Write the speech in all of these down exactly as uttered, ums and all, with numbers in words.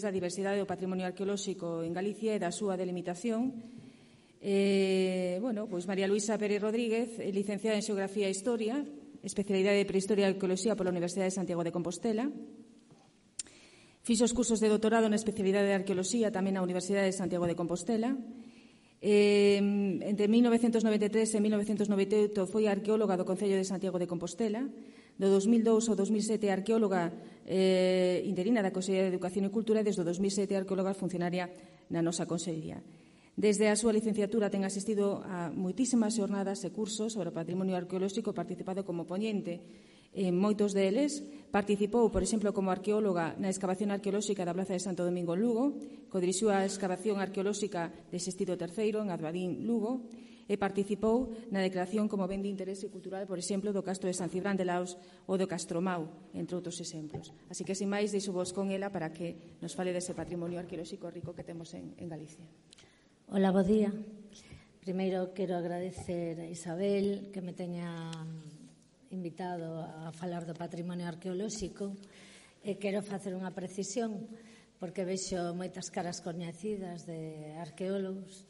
da diversidade do patrimonio arqueolóxico en Galicia e da súa delimitación. Eh, bueno, pois María Luisa Pérez Rodríguez, licenciada en Xeografía e Historia, especialidade de Prehistoria e Arqueoloxía pola Universidade de Santiago de Compostela. Fixo os cursos de doutorado na especialidade de Arqueoloxía tamén na Universidade de Santiago de Compostela. Eh, entre mil novecentos noventa e tres e mil novecentos noventa e oito foi arqueóloga do Concello de Santiago de Compostela. Do dos mil dous ao dos mil sete arqueóloga eh, interina da Consellería de Educación e Cultura e desde o dos mil sete arqueóloga funcionaria na nosa Consellería. Desde a súa licenciatura ten asistido a moitísimas xornadas e cursos sobre o patrimonio arqueolóxico, participado como poñente en moitos deles. Participou, por exemplo, como arqueóloga na excavación arqueolóxica da Plaza de Santo Domingo en Lugo, codirixiu a excavación arqueolóxica de Sextido terceiro en Advadín, Lugo, e participou na declaración como ben de interese cultural, por exemplo, do Castro de San Cibrán de Laos ou do Castromau, entre outros exemplos. Así que, sin máis, deixo vos con ela para que nos fale dese patrimonio arqueolóxico rico que temos en, en Galicia. Hola, bo día. Primeiro, quero agradecer a Isabel que me teña invitado a falar do patrimonio arqueolóxico e quero facer unha precisión porque vexo moitas caras coñecidas de arqueólogos.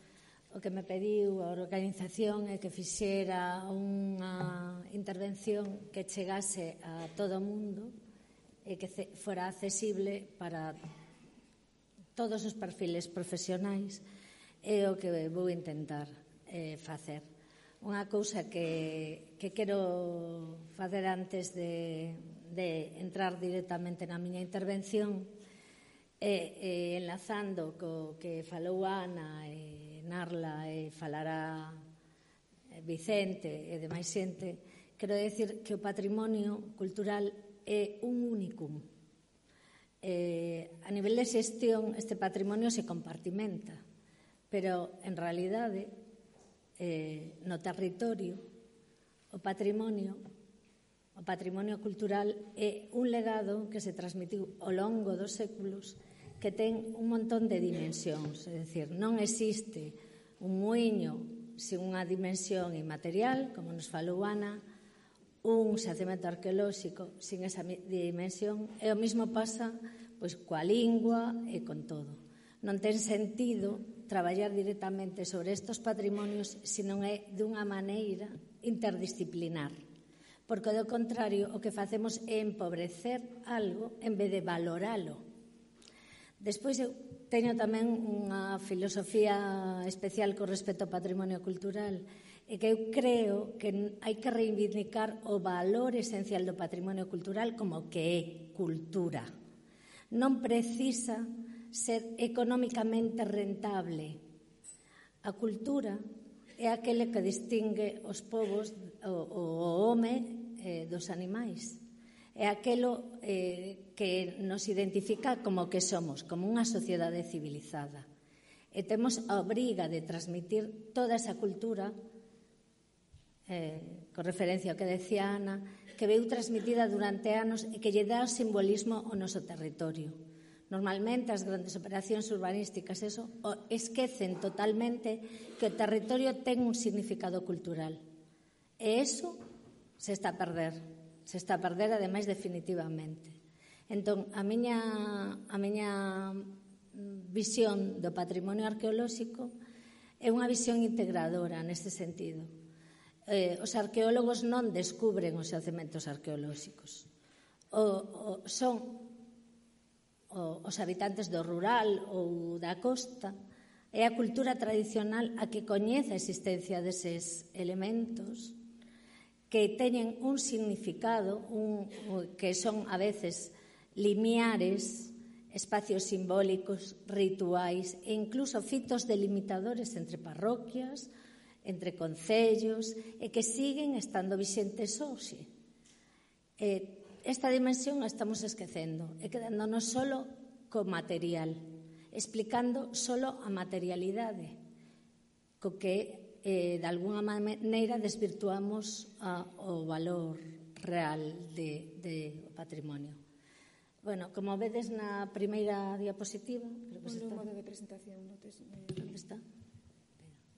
O que me pediu a organización é que fixera unha intervención que chegase a todo o mundo e que fora accesible para todos os perfiles profesionais. É o que vou intentar eh, facer. Unha cousa que, que quero facer antes de, de entrar directamente na miña intervención é, é enlazando co que falou Ana e Narla e falará Vicente e demais xente, quero decir que o patrimonio cultural é un únicum. Eh, a nivel de xestión, este patrimonio se compartimenta, pero, en realidade, eh, no territorio, o patrimonio, o patrimonio cultural é un legado que se transmitiu ao longo dos séculos que ten un montón de dimensións, é dicir, non existe un muiño sin unha dimensión inmaterial, como nos falou Ana, un xacemento arqueolóxico sin esa dimensión, e o mesmo pasa pois, coa lingua e con todo. Non ten sentido traballar directamente sobre estes patrimonios se non é dunha maneira interdisciplinar, porque, do contrario, o que facemos é empobrecer algo en vez de valoralo. Despois, eu teño tamén unha filosofía especial con respecto ao patrimonio cultural, e que eu creo que hai que reivindicar o valor esencial do patrimonio cultural como que é cultura. Non precisa ser económicamente rentable. A cultura é aquele que distingue os povos, o, o home eh, dos animais. É aquelo eh, que nos identifica como que somos, como unha sociedade civilizada. E temos a obriga de transmitir toda esa cultura, eh, con referencia ao que decía Ana, que veu transmitida durante anos e que lle dá o simbolismo ao noso territorio. Normalmente as grandes operacións urbanísticas eso, esquecen totalmente que o territorio ten un significado cultural. E eso se está a perder. Se está a perder, ademais, definitivamente. Entón, a miña, a miña visión do patrimonio arqueolóxico é unha visión integradora neste sentido. Eh, os arqueólogos non descubren os xacementos arqueolóxicos. O, o, son o, os habitantes do rural ou da costa, é a cultura tradicional a que coñece a existencia deses elementos que teñen un significado, un, que son a veces limiares, espacios simbólicos, rituais e incluso fitos delimitadores entre parroquias, entre concellos, e que siguen estando vixentes hoxe. Eh, esta dimensión a estamos esquecendo e quedándonos solo co material, explicando solo a materialidade, co que Eh, de alguna maneira desvirtuamos a, o valor real de, de patrimonio. Bueno, como vedes na primeira diapositiva, creo que está. Un modo de presentación, no te... ¿Dónde está?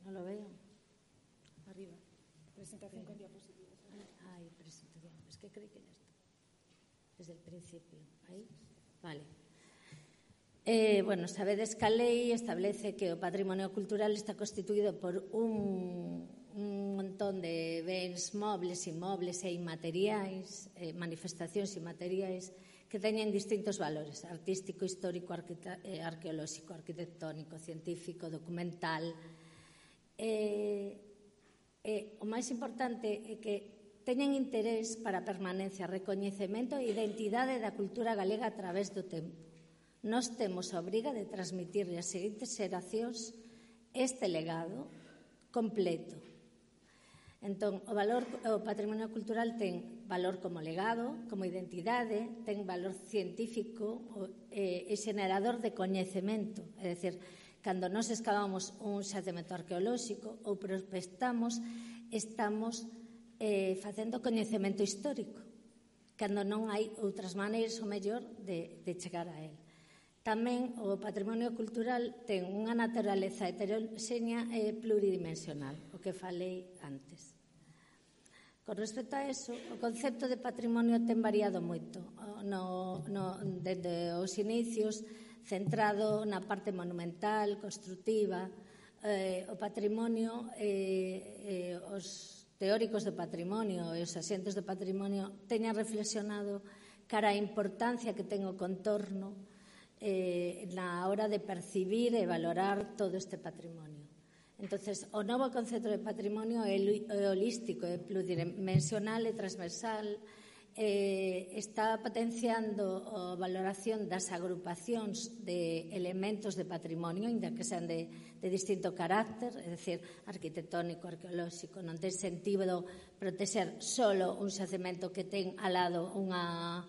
Non lo veo. Arriba. Presentación con diapositivas. Ai, presentación. Es que creí que ya está. Desde el principio. Ahí. Vale. Eh, bueno, sabedes que a lei establece que o patrimonio cultural está constituído por un, un montón de bens móviles, inmobles e inmateriais, eh, manifestacións inmateriais, que teñen distintos valores: artístico, histórico, arquita, eh, arqueolóxico, arquitectónico, científico, documental. Eh, eh, o máis importante é que teñen interés para a permanencia, recoñecemento e identidade da cultura galega a través do tempo. Nós temos a obriga de transmitirle ás seguintes xeracións este legado completo. Entón, o valor, o patrimonio cultural ten valor como legado, como identidade, ten valor científico e, e xenerador de coñecemento. É dicir, cando nós excavamos un xacemento arqueolóxico ou prospectamos, estamos eh, facendo coñecemento histórico, cando non hai outras maneiras, o mellor, de, de chegar a él. Tamén o patrimonio cultural ten unha naturaleza heteroxénea e pluridimensional, o que falei antes. Con respecto a eso, o concepto de patrimonio ten variado moito. No, no, desde os inicios, centrado na parte monumental, construtiva, eh, o patrimonio, eh, eh, os teóricos do patrimonio e os axentes do patrimonio teñan reflexionado cara a importancia que ten o contorno Eh, na hora de percibir e valorar todo este patrimonio. Entonces, o novo concepto de patrimonio é holístico, é pluridimensional e transversal, eh, está potenciando a valoración das agrupacións de elementos de patrimonio, ainda que sean de, de distinto carácter, é dicir, arquitectónico, arqueolóxico. Non ten sentido protexer solo un xacemento que ten ao lado unha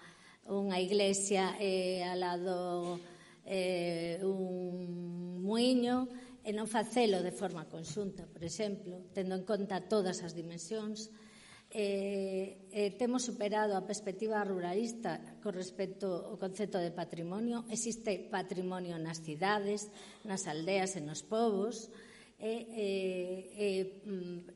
unha iglesia e ao lado eh, un muiño e non facelo de forma conxunta, por exemplo, tendo en conta todas as dimensións. Eh, eh, temos superado a perspectiva ruralista con respecto ao concepto de patrimonio. Existe patrimonio nas cidades, nas aldeas e nos povos. E, eh, eh,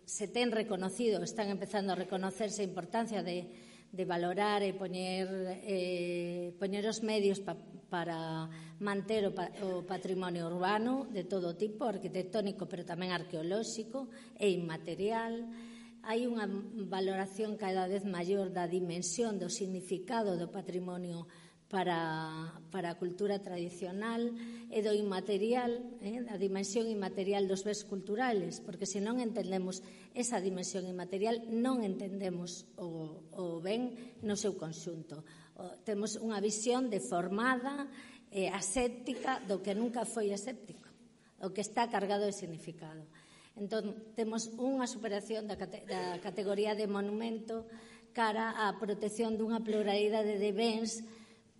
se ten reconocido, están empezando a reconocerse a importancia de de valorar e poñer, eh, poñer os medios pa, para manter o, pa, o patrimonio urbano de todo tipo, arquitectónico, pero tamén arqueolóxico e inmaterial. Hai unha valoración cada vez maior da dimensión, do significado do patrimonio para, para a cultura tradicional e do inmaterial, eh, a dimensión inmaterial dos bens culturales, porque se non entendemos esa dimensión inmaterial, non entendemos o, o ben no seu conxunto. O, temos unha visión deformada e aséptica do que nunca foi aséptico, o que está cargado de significado. Entón, temos unha superación da, cate, da categoría de monumento cara á protección dunha pluralidade de bens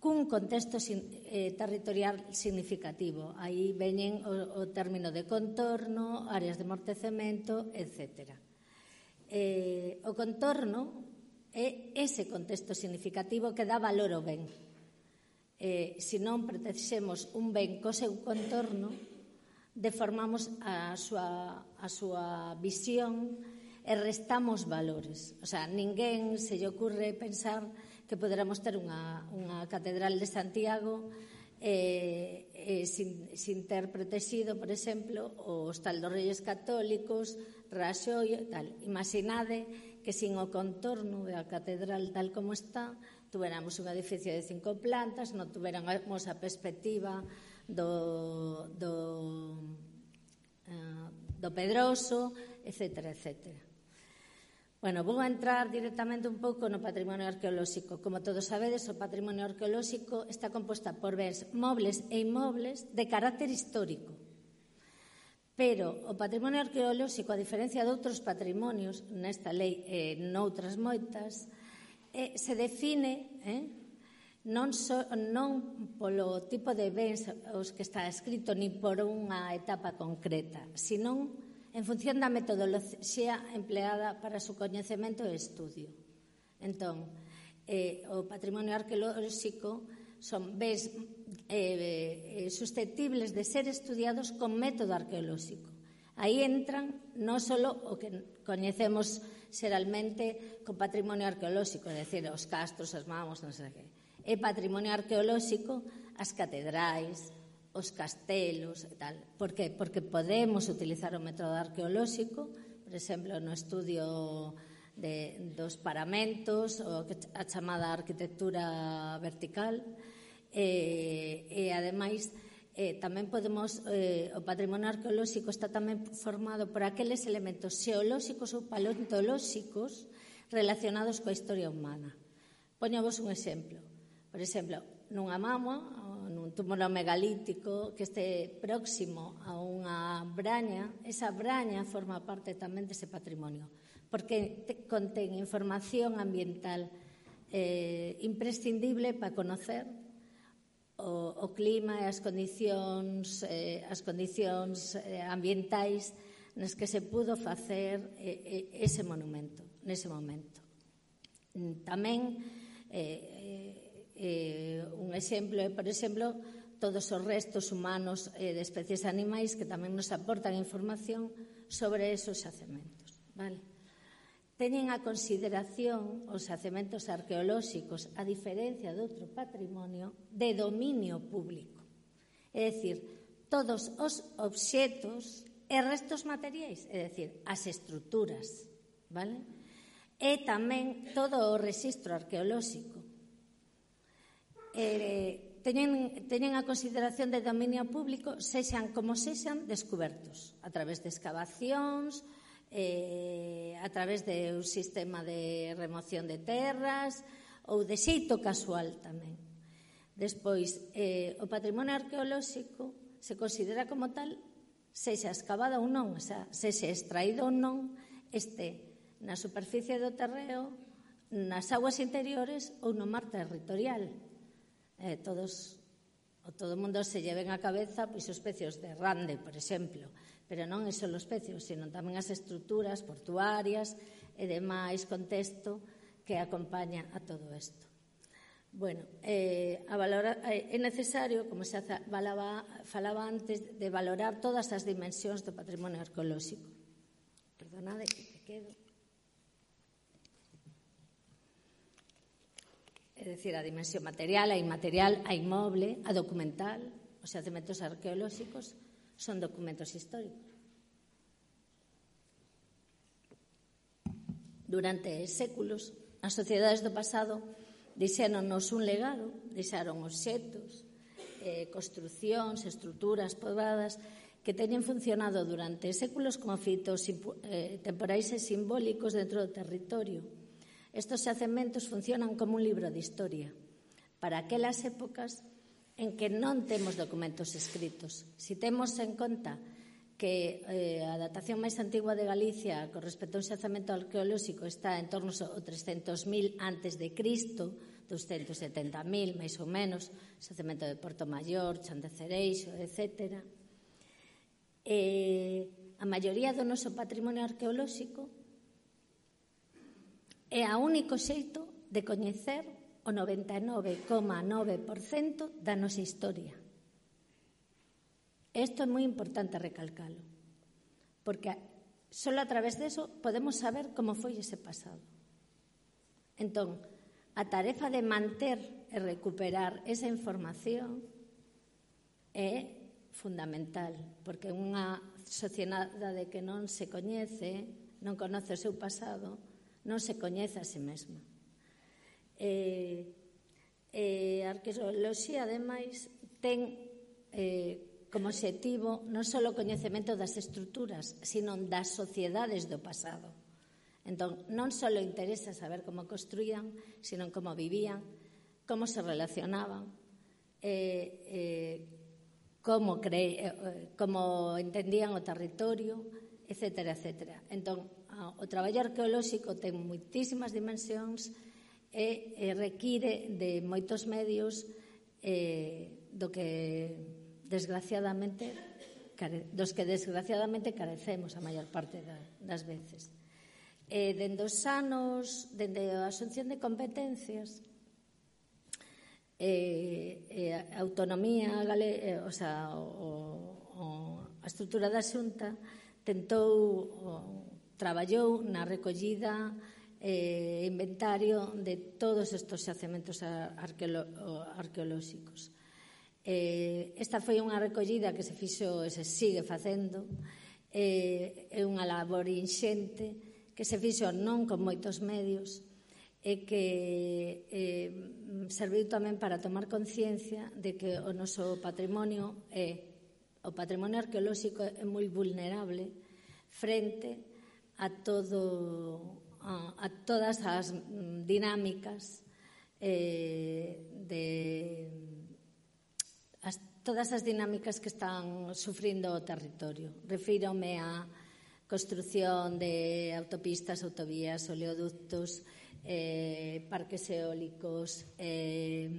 cun contexto eh, territorial significativo. Aí veñen o, o término de contorno, áreas de amortecemento, etcétera. Eh, o contorno é ese contexto significativo que dá valor ao ben. Eh, se non protexemos un ben co seu contorno, deformamos a súa, a súa visión e restamos valores. O sea, ninguén se lle ocurre pensar que poderamos ter unha, unha catedral de Santiago eh, eh, sin, sin ter protegido, por exemplo, o Hostal dos Reyes Católicos, Raxoi e tal. Imaginade que sin o contorno da catedral tal como está, tuveramos un edificio de cinco plantas, non tuveramos a perspectiva do, do, uh, do Pedroso, etcétera, etcétera. Bueno, vou a entrar directamente un pouco no patrimonio arqueolóxico. Como todos sabedes, o patrimonio arqueolóxico está composta por bens mobles e inmobles de carácter histórico. Pero o patrimonio arqueolóxico, a diferencia de outros patrimonios, nesta lei e noutras moitas, eh, se define eh, non, so, non polo tipo de bens os que está escrito, ni por unha etapa concreta, senón en función da metodoloxía empleada para o seu coñecemento e estudio. Entón, eh, o patrimonio arqueolóxico son bens eh, eh, susceptibles de ser estudiados con método arqueolóxico. Aí entran non só o que coñecemos xeralmente co patrimonio arqueolóxico, é dicir, os castros, as mamos, non sei que. É patrimonio arqueolóxico as catedrais, os castelos e tal. Por que? Porque podemos utilizar o método arqueolóxico, por exemplo, no estudio de, dos paramentos, o a chamada arquitectura vertical, e, e ademais, eh, tamén podemos, eh, o patrimonio arqueolóxico está tamén formado por aqueles elementos xeolóxicos ou paleontolóxicos relacionados coa historia humana. Poñovos un exemplo. Por exemplo, nunha mama, nun túmulo megalítico que este próximo a unha braña, esa braña forma parte tamén dese patrimonio, porque te, contén información ambiental eh, imprescindible para conocer o, o clima e as condicións, eh, as condicións eh, ambientais nas que se pudo facer eh, ese monumento, nese momento. Tamén eh, Eh, un exemplo é, por exemplo, todos os restos humanos eh, de especies animais que tamén nos aportan información sobre esos xacementos. Vale? Teñen a consideración os xacementos arqueolóxicos, a diferencia de outro patrimonio, de dominio público. É dicir, todos os obxetos e restos materiais, é dicir, as estruturas, vale? E tamén todo o rexistro arqueolóxico. Eh, teñen, teñen a consideración de dominio público sexan como sexan descubertos a través de excavacións, eh, a través de un sistema de remoción de terras ou de xeito casual tamén. Despois, eh, o patrimonio arqueolóxico se considera como tal sexa excavado ou non, o sea, sexa extraído ou non, este na superficie do terreo, nas aguas interiores ou no mar territorial. Eh, todos, o todo o mundo se lleven a cabeza pois os pecios de Rande, por exemplo, pero non é só os pecios, sino tamén as estruturas portuarias e demais contexto que acompaña a todo isto. Bueno, eh, a valorar, eh, é necesario, como se falaba, falaba antes, de valorar todas as dimensións do patrimonio arqueolóxico. Perdonade que te quedo. É dicir, a dimensión material, a inmaterial, a inmoble, a documental. Os xacementos arqueolóxicos son documentos históricos. Durante séculos, as sociedades do pasado deixáronos un legado, deixaron obxetos, eh, construcións, estruturas poboadas que teñen funcionado durante séculos como fitos eh, temporais e simbólicos dentro do territorio. Estos xacementos funcionan como un libro de historia para aquelas épocas en que non temos documentos escritos. Si temos en conta que eh, a datación máis antigua de Galicia con respecto a un xacemento arqueolóxico está en torno ao trescentos mil antes de Cristo, doscientos setenta mil, máis ou menos, xacemento de Porto Maior, Chan de Cereixo, etcétera. Eh, a maioría do noso patrimonio arqueolóxico é o único xeito de coñecer o noventa e nove coma nove por cento da nosa historia. Isto é moi importante recalcalo, porque só a través deso podemos saber como foi ese pasado. Entón, a tarefa de manter e recuperar esa información é fundamental, porque unha sociedade que non se coñece, non conoce o seu pasado, non se coñece a si mesma. E, e a arqueoloxía, ademais, ten eh, como obxectivo non só o coñecemento das estruturas, sino das sociedades do pasado. Entón, non só interesa saber como construían, sino como vivían, como se relacionaban, eh, eh, como, cre... eh, como entendían o territorio, etcétera, etcétera. Entón, o traballo arqueolóxico ten moitísimas dimensións e, e require de moitos medios eh, do que desgraciadamente dos que desgraciadamente carecemos a maior parte da, das veces. E dende os anos, dende a asunción de competencias, e, e a autonomía gale, o sea, o, o, a estrutura da Xunta tentou o, traballou na recollida e eh, inventario de todos estes xacementos arqueolo, arqueolóxicos. Eh, esta foi unha recollida que se fixo e se sigue facendo, eh, é unha labor inxente que se fixo non con moitos medios e que eh, serviu tamén para tomar conciencia de que o noso patrimonio é, o patrimonio arqueolóxico é moi vulnerable frente a todo a, a todas as dinámicas eh, de As, todas as dinámicas que están sufrindo o territorio. Refírome á construción de autopistas, autovías, oleoductos, eh, parques eólicos, eh,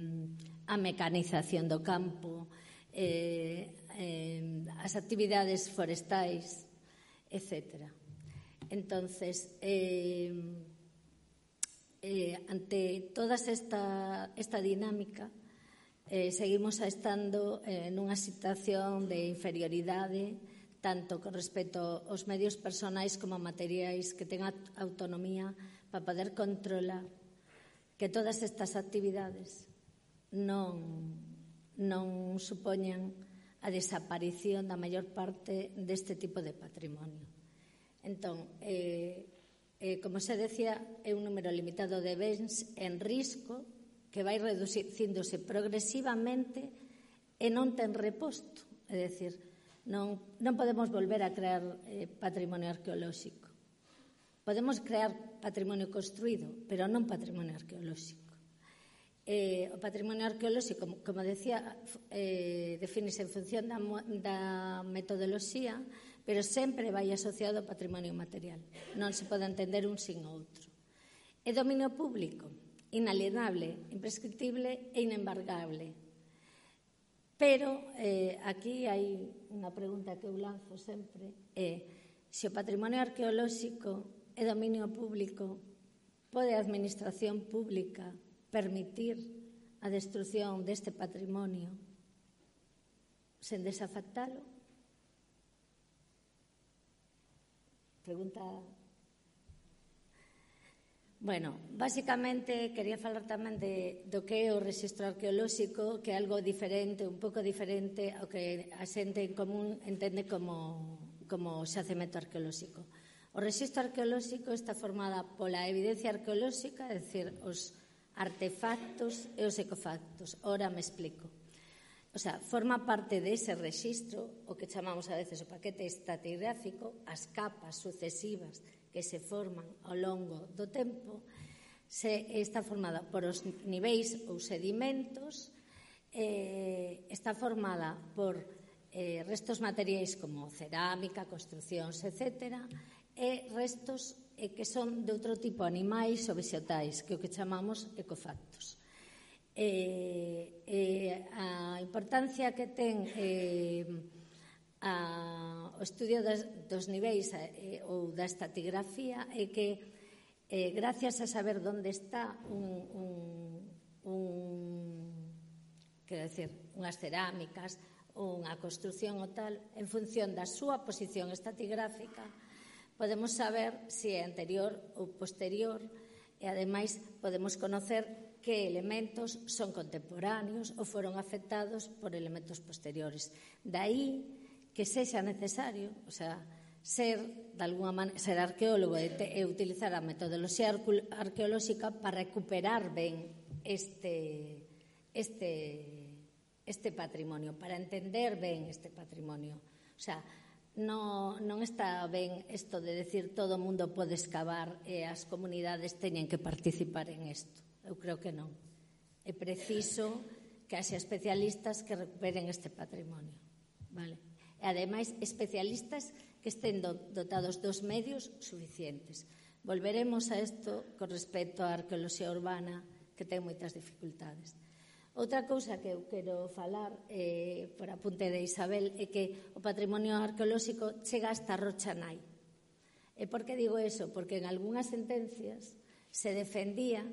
a mecanización do campo, eh, eh, as actividades forestais, etcétera. Entonces, eh, eh, ante toda esta, esta dinámica, Eh, seguimos estando eh, nunha situación de inferioridade tanto con respecto aos medios personais como materiais que ten autonomía para poder controlar que todas estas actividades non, non supoñan a desaparición da maior parte deste tipo de patrimonio. Entón, eh, eh, como se decía, é un número limitado de bens en risco que vai reducíndose progresivamente e non ten reposto. É dicir, non, non podemos volver a crear eh, patrimonio arqueolóxico. Podemos crear patrimonio construído, pero non patrimonio arqueolóxico. Eh, o patrimonio arqueolóxico, como, como decía, eh, defínese en función da, da metodoloxía, pero sempre vai asociado ao patrimonio material. Non se pode entender un sin outro. É dominio público, inalienable, imprescriptible e inembargable. Pero eh, aquí hai unha pregunta que eu lanzo sempre, é se o patrimonio arqueolóxico é dominio público, pode a administración pública permitir a destrucción deste patrimonio sen desafectalo? Pregunta. Bueno, basicamente quería falar tamén de, do que é o rexistro arqueolóxico, que é algo diferente, un pouco diferente ao que a xente en común entende como, como xacemento arqueolóxico. O rexistro arqueolóxico está formada pola evidencia arqueolóxica, é dicir, os artefactos e os ecofactos. Ora me explico. O sea, forma parte dese rexistro, o que chamamos a veces o paquete estratigráfico, as capas sucesivas que se forman ao longo do tempo, se está formada por os niveis ou sedimentos, eh, está formada por eh, restos materiais como cerámica, construcións, etcétera, e restos eh, que son de outro tipo, animais ou vegetais, que é o que chamamos ecofactos. Eh, eh, a importancia que ten eh, a, o estudio das, dos niveis eh, ou da estratigrafía é que eh, gracias a saber onde está un, un, un quero decir, unhas cerámicas ou unha construción ou tal, en función da súa posición estratigráfica podemos saber se é anterior ou posterior e ademais podemos conocer que elementos son contemporáneos ou foron afectados por elementos posteriores. Daí que sexa necesario, o sea, ser, de alguna maneira, ser arqueólogo e, te, e utilizar a metodoloxía arqueolóxica para recuperar ben este, este, este patrimonio, para entender ben este patrimonio. O sea, no, non está ben isto de decir todo o mundo pode excavar e as comunidades teñen que participar en isto. Eu creo que non. É preciso que haxa especialistas que recuperen este patrimonio. Vale? E, ademais, especialistas que estén dotados dos medios suficientes. Volveremos a isto con respecto á arqueoloxía urbana, que ten moitas dificultades. Outra cousa que eu quero falar, eh, por apunte de Isabel, é que o patrimonio arqueolóxico chega hasta Rocha Nai. E por que digo eso? Porque en algunhas sentencias se defendía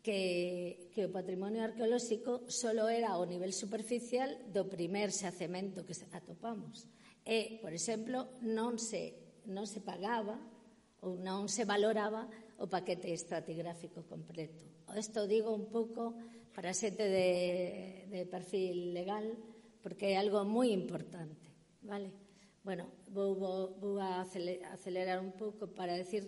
que, que o patrimonio arqueolóxico solo era ao nivel superficial do primer xacemento que atopamos. E, por exemplo, non se, non se pagaba ou non se valoraba o paquete estratigráfico completo. Isto digo un pouco para xente de, de perfil legal, porque é algo moi importante, vale? Bueno, vou, vou, vou a acelerar un pouco para decir,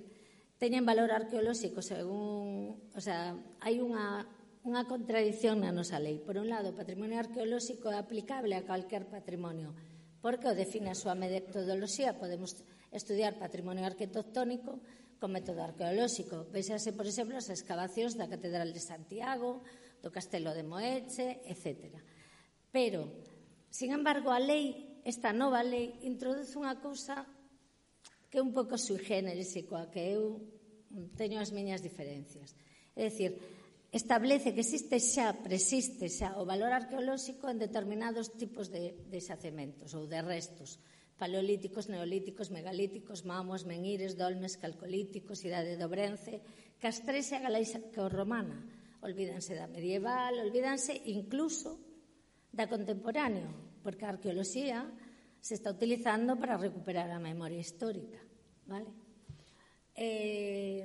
teñen valor arqueolóxico según, o sea, hai unha, unha contradición na nosa lei. Por un lado, o patrimonio arqueolóxico é aplicable a calquer patrimonio, porque o define a súa metodoloxía. Podemos estudiar patrimonio arquitectónico con método arqueolóxico. Véxase, por exemplo, as excavacións da Catedral de Santiago, do Castelo de Moeche, etcétera. Pero, sin embargo, a lei, esta nova lei, introduce unha cousa que é un pouco sui generis e coa que eu teño as miñas diferencias. É dicir, establece que existe xa, persiste xa, o valor arqueolóxico en determinados tipos de, de xacementos ou de restos, paleolíticos, neolíticos, megalíticos, mamos, menhires, dolmes, calcolíticos, idade do Bronce, castrexa e galaico-romana. Olvídanse da medieval, olvídanse incluso da contemporáneo, porque a arqueoloxía se está utilizando para recuperar a memoria histórica, vale? Eh,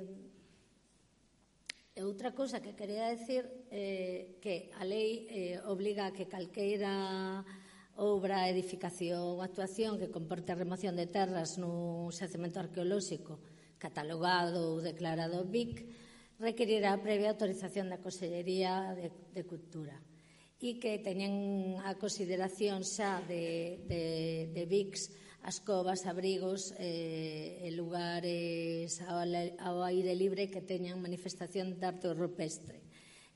outra cousa que quería decir eh, que a lei eh, obliga a que calqueira obra, edificación ou actuación que comporte a remoción de terras nun xacemento arqueolóxico catalogado ou declarado B I C requerirá previa autorización da Consellería de, de Cultura e que teñen a consideración xa de, de, de B I Cs as covas, abrigos e eh, lugares ao, ao aire libre que teñan manifestación de arte rupestre.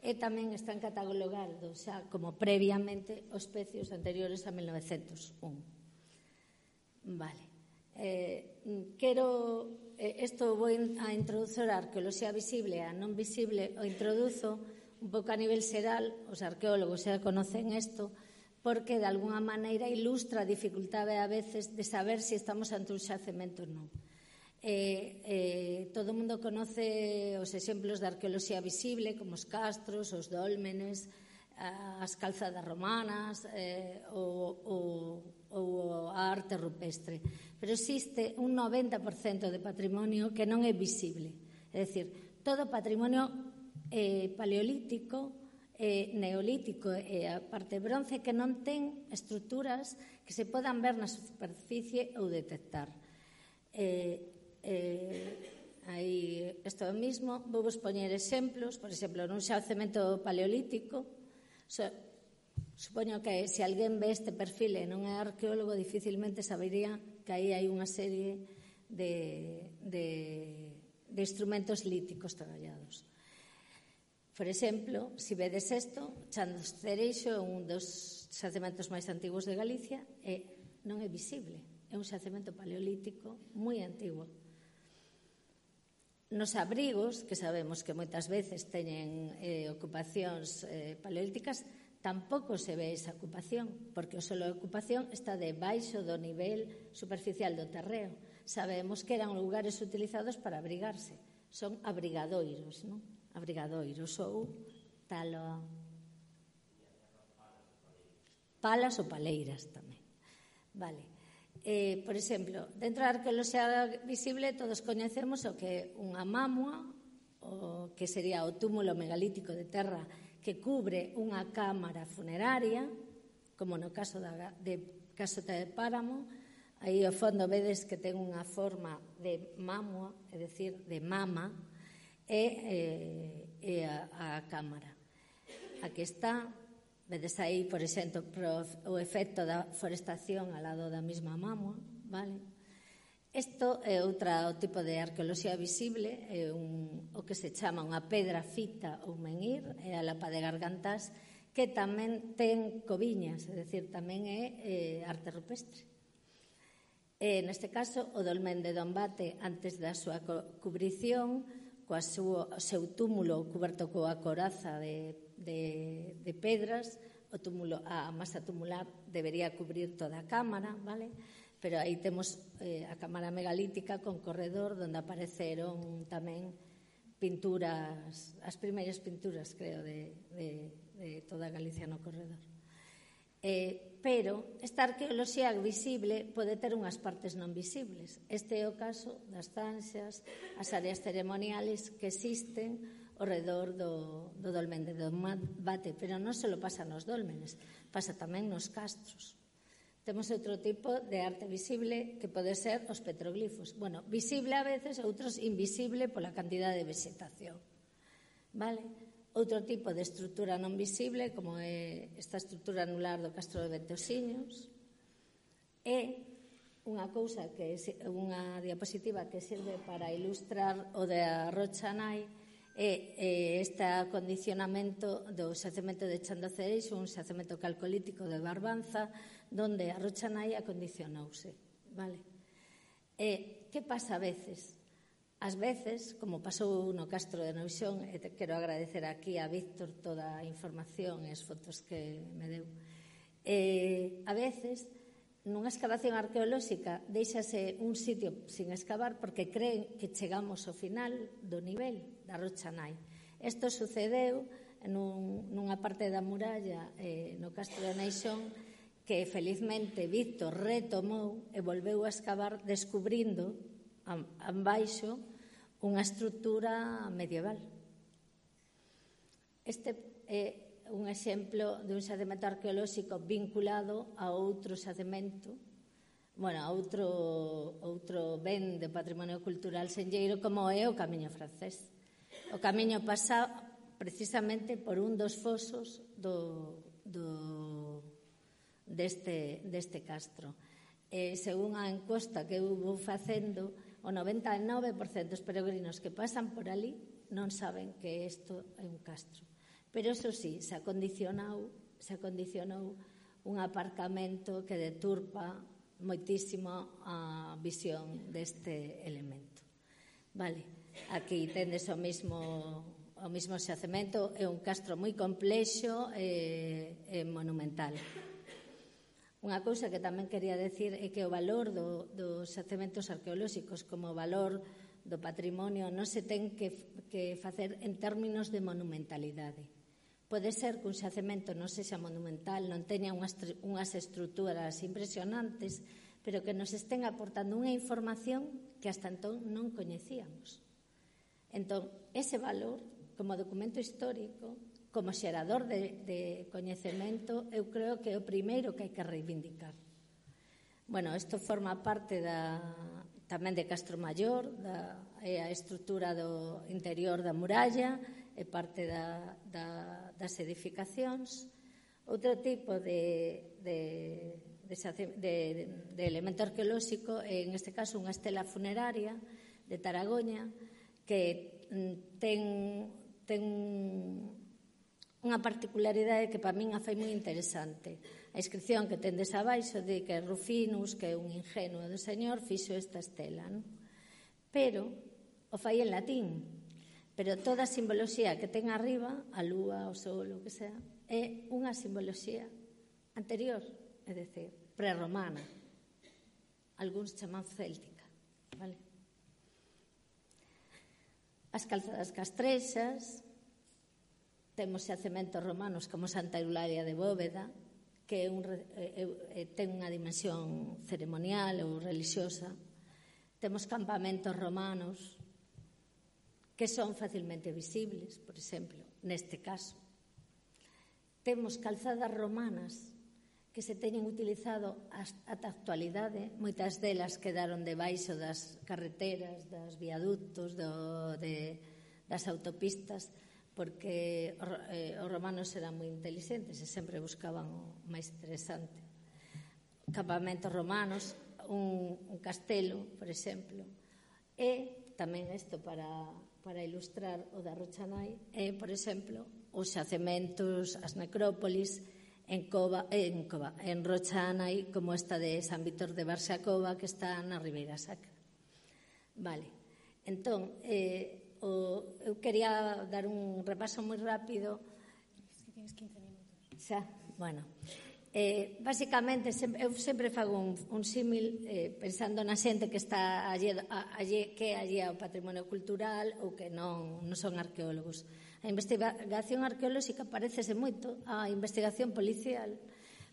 E tamén están catalogados xa como previamente os especios anteriores a mil novecentos un. Vale. Eh, quero, eh, isto vou a introducir a arqueoloxía visible e a non visible, o introduzo un pouco a nivel xeral, os arqueólogos xa conocen isto, porque de alguna maneira ilustra a dificultade a veces de saber se estamos ante un xacemento ou non. Eh, eh, todo o mundo conoce os exemplos de arqueoloxía visible, como os castros, os dólmenes, as calzadas romanas, eh, ou, ou, ou a arte rupestre. Pero existe un noventa por cento de patrimonio que non é visible. É dicir, todo patrimonio eh, paleolítico, eh, neolítico e a parte bronce que non ten estruturas que se podan ver na superficie ou detectar. Eh, eh, aí, isto mesmo, vou vos poñer exemplos, por exemplo, nun xacemento paleolítico, so, supoño que se alguén ve este perfil e non é arqueólogo, dificilmente sabería que aí hai unha serie de, de, de instrumentos líticos traballados. Por exemplo, se vedes isto, Chandos Cereixo é un dos xacementos máis antigos de Galicia e non é visible. É un xacemento paleolítico moi antigo. Nos abrigos, que sabemos que moitas veces teñen eh, ocupacións eh, paleolíticas, tampouco se ve esa ocupación, porque o solo de ocupación está debaixo do nivel superficial do terreo. Sabemos que eran lugares utilizados para abrigarse. Son abrigadoiros, non? Abrigadoiros ou talo... palas ou paleiras tamén. Vale. Eh, por exemplo, dentro da arqueoloxía visible todos coñecemos o que é unha mámoa, o que sería o túmulo megalítico de terra que cubre unha cámara funeraria, como no caso da, de Casota de Páramo. Aí ao fondo vedes que ten unha forma de mámoa, é dicir, de mama, e, eh, e a, a cámara. Aquí está, vedes aí, por exemplo, o efecto da forestación ao lado da mesma mámoa, vale? Isto é outro tipo de arqueoloxía visible, é un, o que se chama unha pedra fita ou menhir, é a lapa de Gargantás, que tamén ten coviñas, é dicir, tamén é eh, arte rupestre. E, neste caso, o dolmen de Dombate, antes da súa cubrición, coa súa, o seu túmulo coberto coa coraza de, de, de pedras, o túmulo, a masa tumular debería cubrir toda a cámara, vale? Pero aí temos eh, a cámara megalítica con corredor onde apareceron tamén pinturas, as primeiras pinturas, creo, de, de, de toda Galicia no corredor. Eh, pero esta arqueoloxía visible pode ter unhas partes non visibles. Este é o caso das zanxas, as áreas ceremoniales que existen ao redor do, do dolmen de Dombate, pero non só pasa nos dólmenes, pasa tamén nos castros. Temos outro tipo de arte visible que pode ser os petroglifos. Bueno, visible a veces, outros invisible pola cantidad de vegetación. Vale? Outro tipo de estrutura non visible, como é esta estrutura anular do Castro de Ventosiños, é unha cousa que é unha diapositiva que serve para ilustrar o da Rocha Nai, é este acondicionamento do xacemento de Chan do Cereixo, un xacemento calcolítico de Barbanza, donde a Rocha Nai acondicionouse. Vale? E que pasa a veces? Ás veces, como pasou no Castro de Noixón, e te quero agradecer aquí a Víctor toda a información e as fotos que me deu, e, a veces, nunha excavación arqueolóxica, deixase un sitio sin excavar porque creen que chegamos ao final do nivel da Rocha Nai. Isto sucedeu nun, nunha parte da muralla eh, no Castro de Noixón que felizmente Víctor retomou e volveu a excavar descubrindo ambaixo unha estrutura medieval. Este é un exemplo de un xacemento arqueolóxico vinculado a outro xacemento, bueno, a outro, outro ben de patrimonio cultural senlleiro como é o Camiño Francés. O Camiño pasa precisamente por un dos fosos do, do, deste, deste castro. E, según a encosta que eu vou facendo, o noventa e nove por cento dos peregrinos que pasan por ali non saben que isto é un castro. Pero, eso sí, se acondicionou, se acondicionou un aparcamento que deturpa moitísimo a visión deste elemento. Vale, aquí tendes o mesmo, o mesmo xacemento, é un castro moi complexo e, e monumental. Unha cousa que tamén quería decir é que o valor do, dos xacementos arqueolóxicos como valor do patrimonio non se ten que, que facer en términos de monumentalidade. Pode ser que un xacemento non sexa monumental, non teña unhas, unhas estruturas impresionantes, pero que nos estén aportando unha información que hasta entón non coñecíamos. Entón, ese valor, como documento histórico, como xerador de, de coñecemento, eu creo que é o primeiro que hai que reivindicar. Bueno, isto forma parte da, tamén de Castro Maior, da, é a estrutura do interior da muralla, é parte da, da, das edificacións. Outro tipo de, de, de, de, de elemento arqueolóxico é, en este caso, unha estela funeraria de Taragoña que ten, ten unha particularidade que para min a fai moi interesante. A inscripción que tendes abaixo de que Rufinus, que é un ingenuo do Señor, fixo esta estela, non? Pero o fai en latín. Pero toda a simboloxía que ten arriba, a lúa, o sol, o que sea, é unha simboloxía anterior, é dicir, prerromana. Algúns chaman céltica, vale? As calzadas castrexas, temos xacementos romanos como Santa Eulalia de Bóveda, que é un, é, é, ten unha dimensión ceremonial ou religiosa. Temos campamentos romanos que son facilmente visibles, por exemplo, neste caso. Temos calzadas romanas que se teñen utilizado ata a actualidade, moitas delas quedaron debaixo das carreteras, dos viaductos, do, de, das autopistas, porque eh, os romanos eran moi inteligentes e sempre buscaban o máis interesante. Campamentos romanos, un, un castelo, por exemplo, e tamén isto para... para ilustrar o da Rocha Nai, é, por exemplo, os xacementos, as necrópolis en Cova, en Cova, en Rocha Nai, como esta de San Víctor de Barxacova, que está na Ribeira Sacra. Vale. Entón, eh, o, eu quería dar un repaso moi rápido. Es que tienes quince minutos. Xa, bueno. Eh, basicamente, eu sempre fago un, un símil eh, pensando na xente que está allí, allí, que é allí ao patrimonio cultural ou que non, non son arqueólogos. A investigación arqueolóxica parecese moito á investigación policial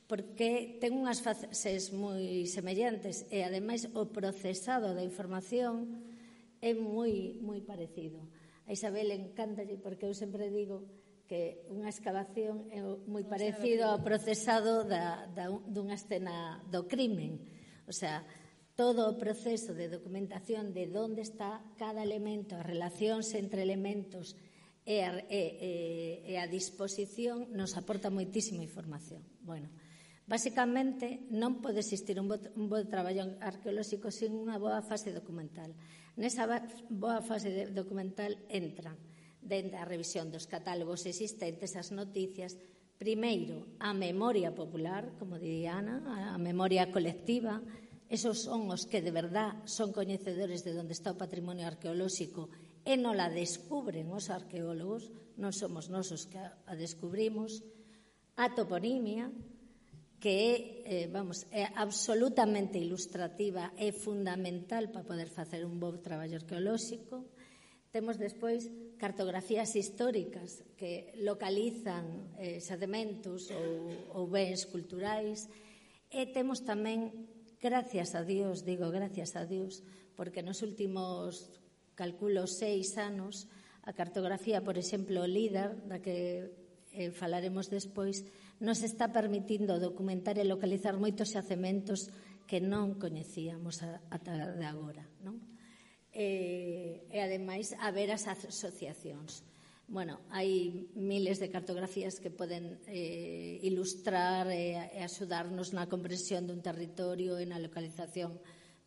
porque ten unhas fases moi semellantes e, ademais, o procesado da información é moi, moi parecido. A A Isabel encántalle porque eu sempre digo que unha excavación é moi parecido ao procesado da, da, dunha escena do crimen. O sea, todo o proceso de documentación de onde está cada elemento, as relacións entre elementos e a, e, e, e a disposición nos aporta moitísima información. Bueno, basicamente, non pode existir un bo, un bo traballo arqueolóxico sin unha boa fase documental. Nesa boa fase documental entran dende a revisión dos catálogos existentes, as noticias, primeiro, a memoria popular, como diría Ana, a memoria colectiva. Esos son os que de verdad son coñecedores de onde está o patrimonio arqueolóxico e non la descubren os arqueólogos, non somos nós os que a descubrimos. A toponimia, que é, eh, vamos, é absolutamente ilustrativa e fundamental para poder facer un bo traballo arqueolóxico. Temos despois cartografías históricas que localizan eh, xacementos ou, ou bens culturais, e temos tamén, gracias a Dios, digo gracias a Dios, porque nos últimos, calculo, seis anos, a cartografía, por exemplo, LIDAR, da que eh, falaremos despois, nos está permitindo documentar e localizar moitos xacementos que non coñecíamos ata de agora, non? E, e ademais, haber as asociacións. Bueno, hai miles de cartografías que poden eh, ilustrar e, e axudarnos na comprensión dun territorio e na localización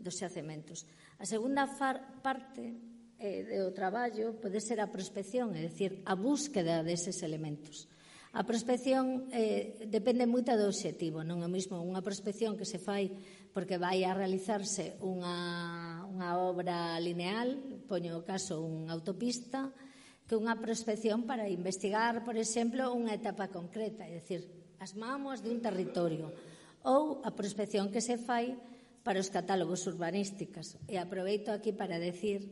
dos xacementos. A segunda far, parte eh, do traballo pode ser a prospección, é dicir, a búsqueda deses elementos. A prospección eh, depende moito do obxectivo, non é mesmo unha prospección que se fai porque vai a realizarse unha, unha obra lineal, poño o caso unha autopista, que unha prospección para investigar, por exemplo, unha etapa concreta, é dicir, as mámoas dun territorio, ou a prospección que se fai para os catálogos urbanísticos. E aproveito aquí para decir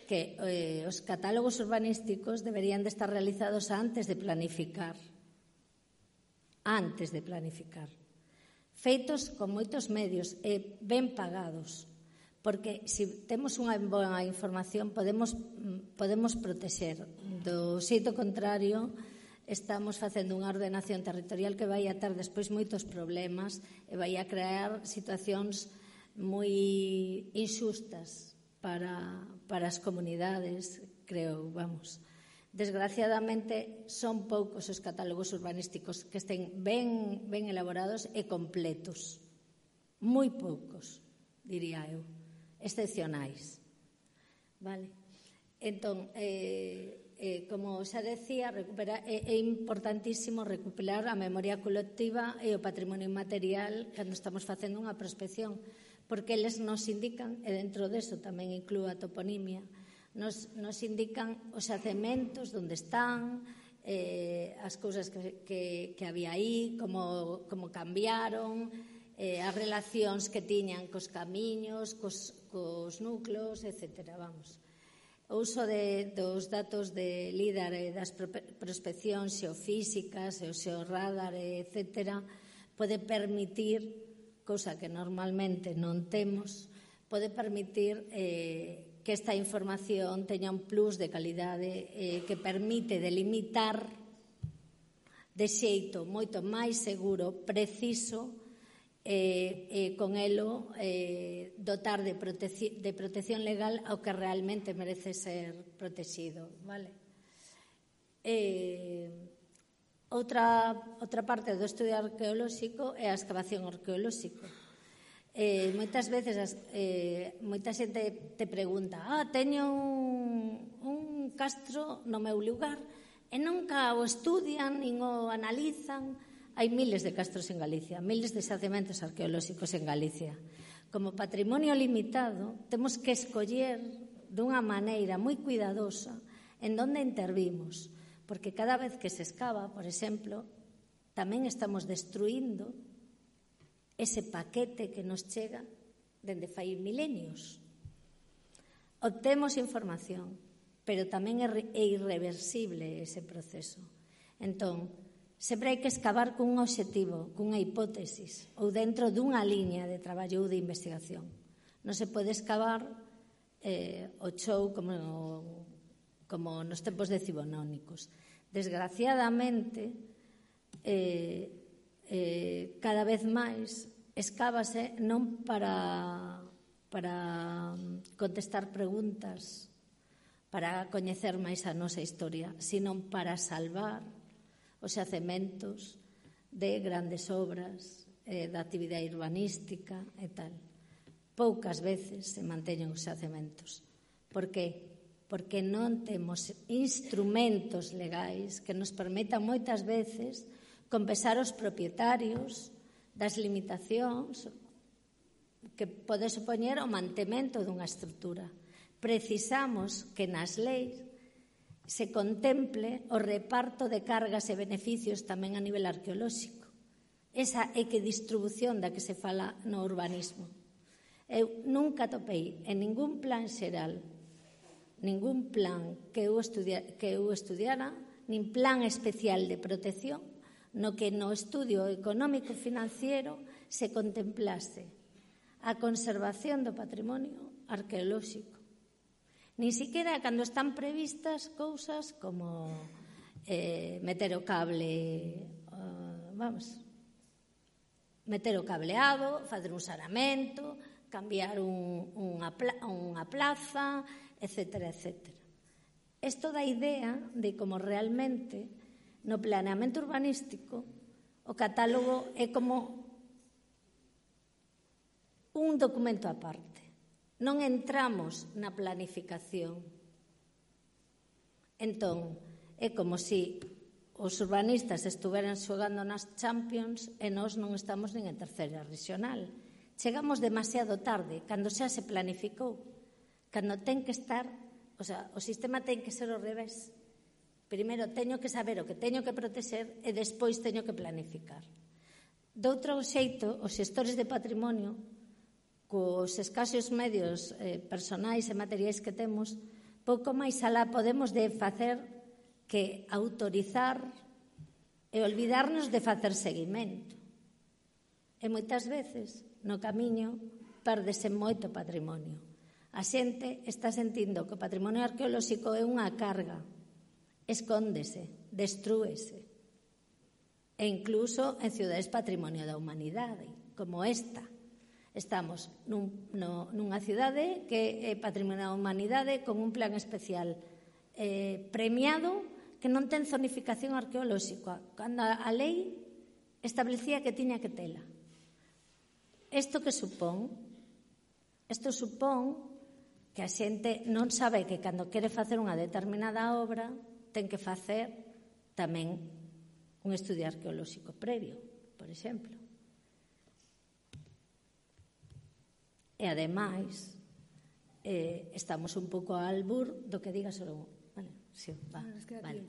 que eh, os catálogos urbanísticos deberían de estar realizados antes de planificar. antes de planificar. Feitos con moitos medios e ben pagados, porque se temos unha boa información podemos, podemos protexer. Do xeito contrario, estamos facendo unha ordenación territorial que vai a ter despois moitos problemas e vai a crear situacións moi inxustas para, para as comunidades, creo, vamos. Desgraciadamente, son poucos os catálogos urbanísticos que estén ben, ben elaborados e completos. Moi poucos, diría eu, excepcionais. Vale? Entón, eh, eh, como xa decía, recupera, é, é importantísimo recuperar a memoria colectiva e o patrimonio inmaterial cando estamos facendo unha prospección, porque eles nos indican, e dentro deso tamén inclúe a toponimia, Nos, nos indican os xacementos onde están, eh, as cousas que, que, que había aí, como, como cambiaron, eh, as relacións que tiñan cos camiños, cos, cos núcleos, etcétera. Vamos. O uso de, dos datos de LIDAR e das prospeccións xeofísicas e o xeorradar, etcétera, pode permitir, cousa que normalmente non temos, pode permitir eh, que esta información teña un plus de calidade eh, que permite delimitar de xeito moito máis seguro, preciso, e eh, eh, con elo eh, dotar de, proteci- de protección legal ao que realmente merece ser protegido. Vale? Eh, outra, outra parte do estudio arqueolóxico é a excavación arqueolóxica. Eh, moitas veces eh, moita xente te pregunta ah, teño un, un castro no meu lugar e nunca o estudian nin o analizan. Hai miles de castros en Galicia, miles de xacementos arqueolóxicos en Galicia. Como patrimonio limitado temos que escoller dunha maneira moi cuidadosa en donde intervimos, porque cada vez que se escava, por exemplo, tamén estamos destruindo ese paquete que nos chega dende fai milenios. Obtemos información, pero tamén é irreversible ese proceso. Entón, sempre hai que excavar cun obxectivo, cunha hipótesis, ou dentro dunha liña de traballo ou de investigación. Non se pode excavar eh, o chou como, como nos tempos decimonónicos. Desgraciadamente, eh, eh, cada vez máis escávase non para, para contestar preguntas, para coñecer máis a nosa historia, sino para salvar os xacementos de grandes obras, eh, da actividade urbanística e tal. Poucas veces se manteñen os xacementos. Por que? Porque non temos instrumentos legais que nos permitan moitas veces compensar os propietarios das limitacións que pode supoñer o mantemento dunha estrutura. Precisamos que nas leis se contemple o reparto de cargas e beneficios tamén a nivel arqueolóxico. Esa equidistribución da que se fala no urbanismo. Eu nunca topei en ningún plan xeral, ningún plan que eu, estudia, que eu estudiara, nin plan especial de protección, no que no estudio económico financiero se contemplase a conservación do patrimonio arqueolóxico. Nin siquiera cando están previstas cousas como eh, meter o cable, uh, vamos, meter o cableado, facer un saneamento, cambiar un, unha, unha plaza, etcétera, etcétera. Isto dá idea de como realmente no planeamento urbanístico o catálogo é como un documento aparte. Non entramos na planificación. Entón, é como se os urbanistas estuveran xogando nas Champions e nós non estamos nin en terceira regional. Chegamos demasiado tarde, cando xa se planificou, cando ten que estar, o sea, o sistema ten que ser ao revés. Primeiro teño que saber o que teño que protexer e despois teño que planificar. Doutro xeito, os xestores de patrimonio, cos escasos medios eh, personais e materiais que temos, pouco máis alá podemos de facer que autorizar e olvidarnos de facer seguimento. E moitas veces, no camiño, pérdese moito patrimonio. A xente está sentindo que o patrimonio arqueolóxico é unha carga, escóndese, destrúese. E incluso en cidades patrimonio da humanidade, como esta. Estamos nun, no, nunha cidade que é patrimonio da humanidade con un plan especial eh, premiado que non ten zonificación arqueolóxica, cando a lei establecía que tiña que tela. Isto que supón? Isto supón que a xente non sabe que cando quere facer unha determinada obra ten que facer tamén un estudio arqueolóxico previo, por exemplo. E, ademais, eh, estamos un pouco ao albur do que diga solo... Vale, sí, va, vale.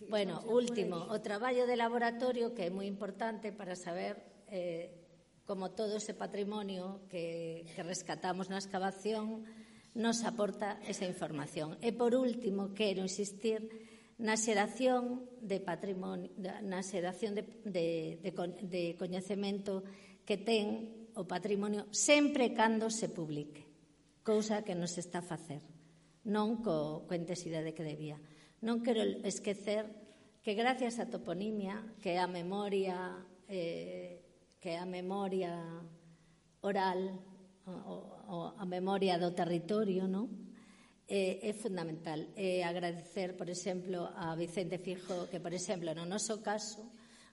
Bueno, último, o traballo de laboratorio, que é moi importante para saber... Eh, como todo ese patrimonio que, que rescatamos na excavación nos aporta esa información. E, por último, quero insistir na xeración de patrimonio, na xeración de, de, de, de coñecemento que ten o patrimonio sempre cando se publique, cousa que nos está a facer, non co, co intensidade que debía. Non quero esquecer que gracias á toponimia, que é a memoria... Eh, que é a memoria oral, o, o, a memoria do territorio, non? É, é fundamental. É agradecer, por exemplo, a Vicente Fijo, que, por exemplo, no noso caso,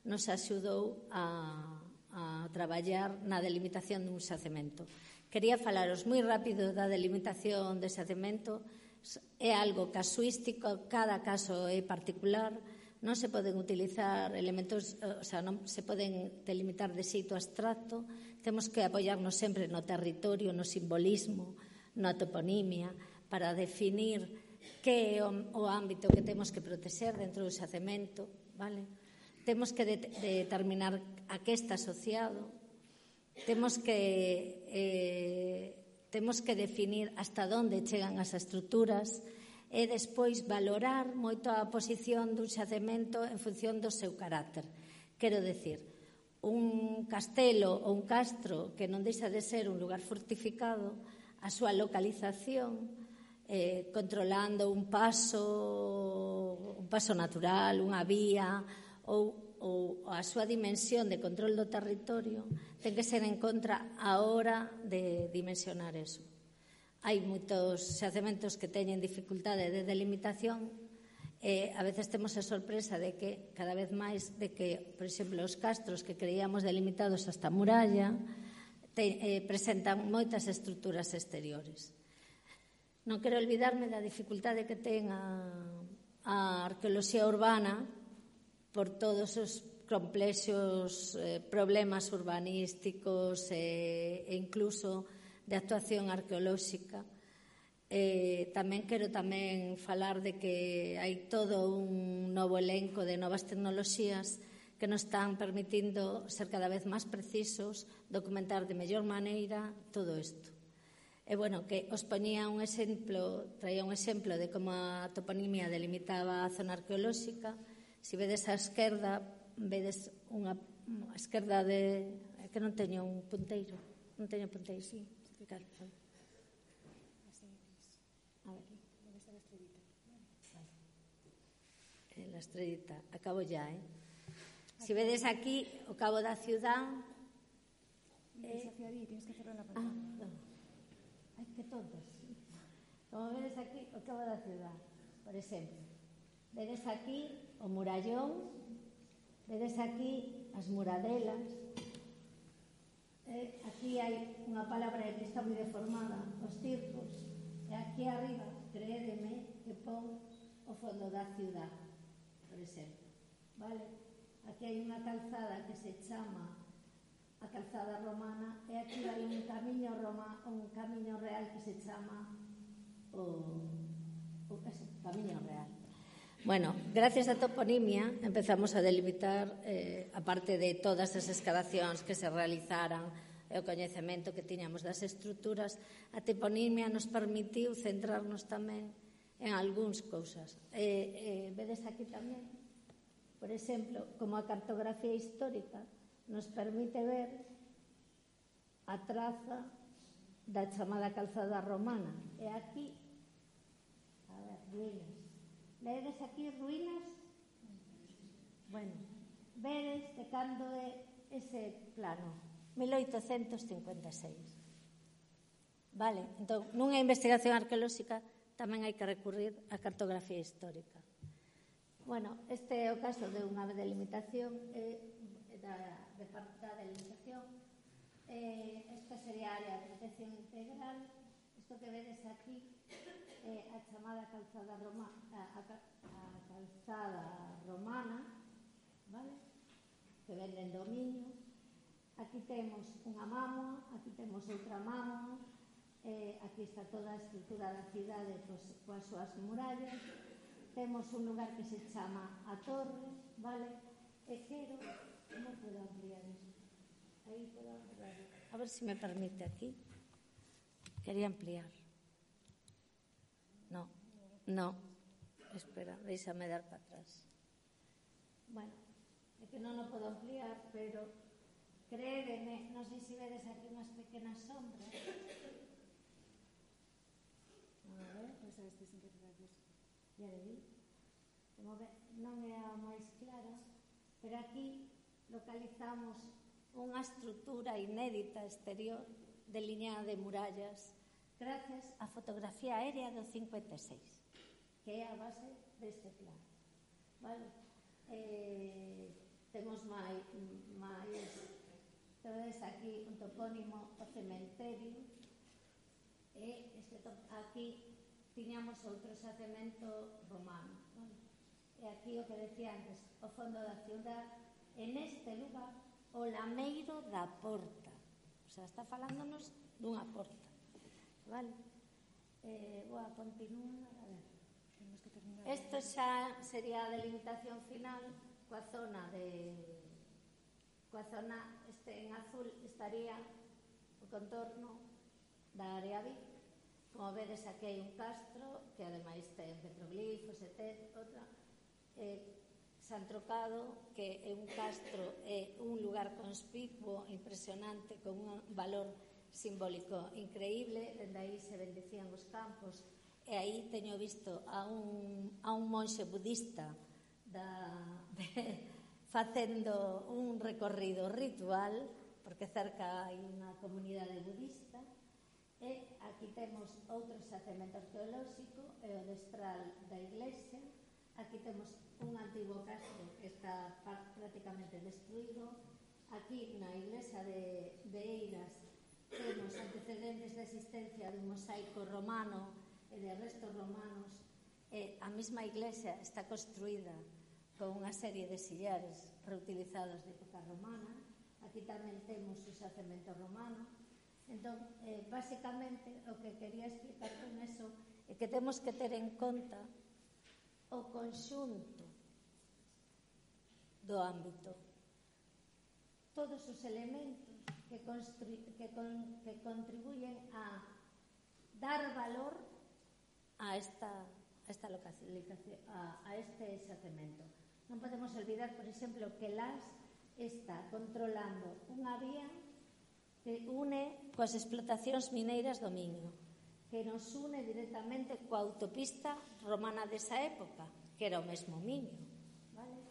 nos axudou a, a traballar na delimitación dun xacemento. Quería falaros moi rápido da delimitación de xacemento. É algo casuístico, cada caso é particular. Non se poden utilizar elementos, o sea, non se poden delimitar de xeito abstracto, temos que apoiarnos sempre no territorio, no simbolismo, na toponimia, para definir que é o, o ámbito que temos que protexer dentro do xacemento, vale? Temos que de, determinar a que está asociado, temos que, eh, temos que definir hasta onde chegan as estruturas, e despois valorar moito a posición dun xacemento en función do seu carácter. Quero decir, un castelo ou un castro que non deixa de ser un lugar fortificado, a súa localización eh, controlando un paso, un paso natural, unha vía, ou, ou a súa dimensión de control do territorio, ten que ser en contra a hora de dimensionar eso. Hai moitos xacementos que teñen dificultade de delimitación. Eh, a veces temos a sorpresa de que cada vez máis de que, por exemplo, os castros que creíamos delimitados hasta a muralla te, eh, presentan moitas estruturas exteriores. Non quero olvidarme da dificultade que ten a, a arqueoloxía urbana por todos os complexos eh, problemas urbanísticos eh, e incluso de actuación arqueolóxica. Eh, tamén quero tamén falar de que hai todo un novo elenco de novas tecnoloxías que nos están permitindo ser cada vez máis precisos, documentar de mellor maneira todo isto. E, bueno, que os poñía un exemplo, traía un exemplo de como a toponimia delimitaba a zona arqueolóxica. Se vedes a esquerda, vedes unha a esquerda de... É que non teño un punteiro, non teño punteiro, sí, claro. A ver, ¿dónde está la estrellita? Vale. La estrellita, acabo ya, ¿eh? Si vedes aquí o cabo da ciudad... Eh, hacia ahí, tienes que cerrar la pantalla. Ah, no. Ay, qué tontos. Como vedes aquí o cabo da ciudad, por exemplo. Vedes aquí o murallón, vedes aquí as muradelas. Eh, aquí hai unha palabra que está moi deformada, os circos. E aquí arriba, créedeme, que pon o fondo da ciudad, por exemplo. Vale? Aquí hai unha calzada que se chama a calzada romana e aquí hai un camiño roma, un camiño real que se chama o, o eso, camiño real. Bueno, gracias á toponimia empezamos a delimitar, eh, a parte de todas as excavacións que se realizaran e o coñecemento que tiñamos das estruturas, a toponimia nos permitiu centrarnos tamén en algúns cousas. Eh, eh, vedes aquí tamén, por exemplo, como a cartografía histórica nos permite ver a traza da chamada calzada romana. E aquí, a ver, ruínas. Vedes aquí ruínas? Bueno, vedes de cando é ese plano? mil oitocentos cincuenta e seis. Vale, entón, nunha investigación arqueolóxica tamén hai que recurrir á cartografía histórica. Bueno, este é o caso de unha delimitación eh, da, de parte da delimitación. Eh, esta sería a área de protección integral. Isto que vedes aquí é eh, a chamada calzada romana, a, a, a calzada romana, vale? Que venden dominio. Aquí temos unha mámoa, aquí temos outra mámoa, eh, aquí está toda a estrutura da cidade pois, coas súas murallas. Temos un lugar que se chama a Torre, vale? E quero, como podo ampliar isto? Aí podo ampliar. A ver se me permite aquí. Quería ampliar. No, no. Espera, deixame dar para atrás. Bueno, é que non o podo ampliar, pero créedeme, non sei se vedes aquí unhas pequenas sombras. A ver, pois a este sin que te das. Ya le vi. Como ve, non é a máis clara, pero aquí localizamos unha estrutura inédita exterior delineada de murallas gracias á fotografía aérea do cincuenta e seis, que é a base deste plan. Vale? Eh, temos máis, máis vedes aquí un topónimo o cementerio e este top, aquí tiñamos outro xacemento romano, vale? E aquí o que decía antes, o fondo da ciudad, en este lugar o lameiro da porta, o sea, está falándonos dunha porta, vale? Eh, boa, continúa, a ver. Isto xa sería a delimitación final coa zona de coa zona este en azul estaría o contorno da área Vic. Como vedes, aquí hai un castro que ademais ten petroglifos e ten outra eh, San Trocado, que é un castro, é un lugar conspicuo, impresionante, con un valor simbólico increíble. Dende aí se bendecían os campos e aí teño visto a un, a un monxe budista da, de, facendo un recorrido ritual, porque cerca hai unha comunidade budista, e aquí temos outro xacemento arqueolóxico, e o destral da iglesia. Aquí temos un antigo castro que está prácticamente destruído. Aquí na iglesia de, de Eiras temos antecedentes de existencia dun mosaico romano e de restos romanos, e a mesma iglesia está construída con unha serie de sillares reutilizados de época romana. Aquí tamén temos o xacemento romano. Entón, eh, basicamente, o que quería explicar con eso é que temos que ter en conta o conxunto do ámbito, todos os elementos que, que, con, que contribuyen a dar valor a esta, a esta localización, a, a este xacemento. Non podemos olvidar, por exemplo, que Las está controlando unha vía que une coas explotacións mineiras do Miño, que nos une directamente coa autopista romana desa época, que era o mesmo Miño, vale?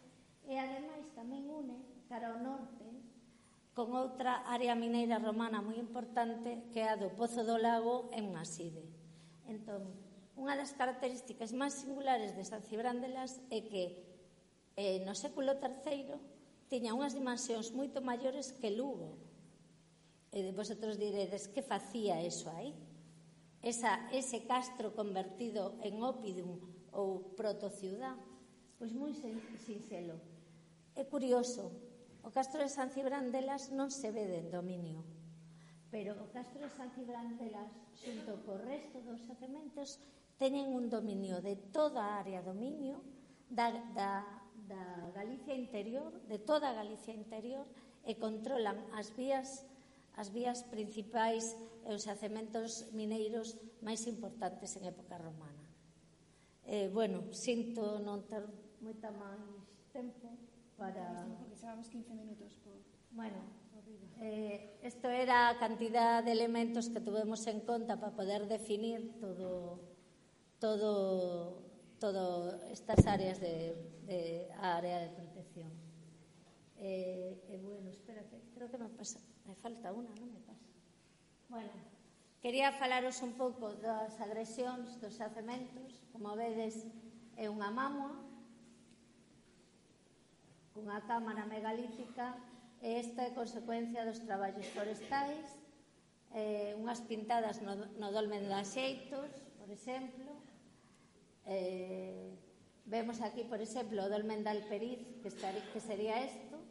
E ademais tamén une cara ao norte con outra área mineira romana moi importante, que é a do Pozo do Lago en Maside. Entón, unha das características máis singulares de San Cibrán de Las é que eh, no século terceiro tiña unhas dimensións moito maiores que Lugo. E vosotros diredes, que facía eso aí? Esa, ese castro convertido en ópidum ou protociudad? Pois moi sinxelo. É curioso, o castro de San Cibrán de Las non se ve de dominio, pero o castro de San Cibrán de Las, xunto co resto dos xacementos, teñen un dominio de toda a área dominio da, da, da Galicia interior, de toda a Galicia interior, e controlan as vías as vías principais e os xacementos mineiros máis importantes en época romana. Eh, bueno, sinto non ter moita máis tempo para... Porque xevamos quince minutos por... Bueno, eh, isto era a cantidad de elementos que tuvemos en conta para poder definir todo todo todo estas áreas de, de a área de protección. Eh, eh, bueno, espera, que creo que me pasa... Me falta unha, non me pasa. Bueno, quería falaros un pouco das agresións dos xacementos. Como vedes, é unha mámoa cunha cámara megalítica, e esta é consecuencia dos traballos forestais, eh, unhas pintadas no, no dolmen de Axeitos, por exemplo. Eh, vemos aquí, por exemplo, o dolmen de Alperiz, que, estar, que sería isto,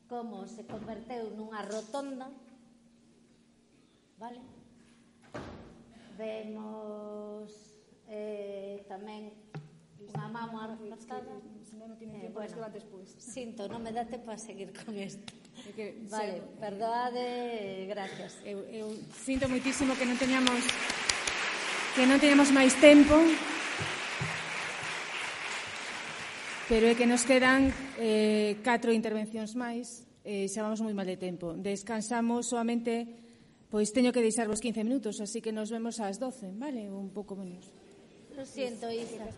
como se converteu nunha rotonda, vale? Vemos eh, tamén unha mámoa reforzada. Eh, bueno, sinto, non me dá tempo a seguir con isto. Vale, perdoade, gracias. Eu, eu sinto moitísimo que non teñamos que non teñamos máis tempo, pero é que nos quedan eh, catro intervencións máis, e eh, xa vamos moi mal de tempo. Descansamos solamente, pois teño que deixarvos quince minutos, así que nos vemos ás doce, vale? Un pouco menos. Lo siento, Isa.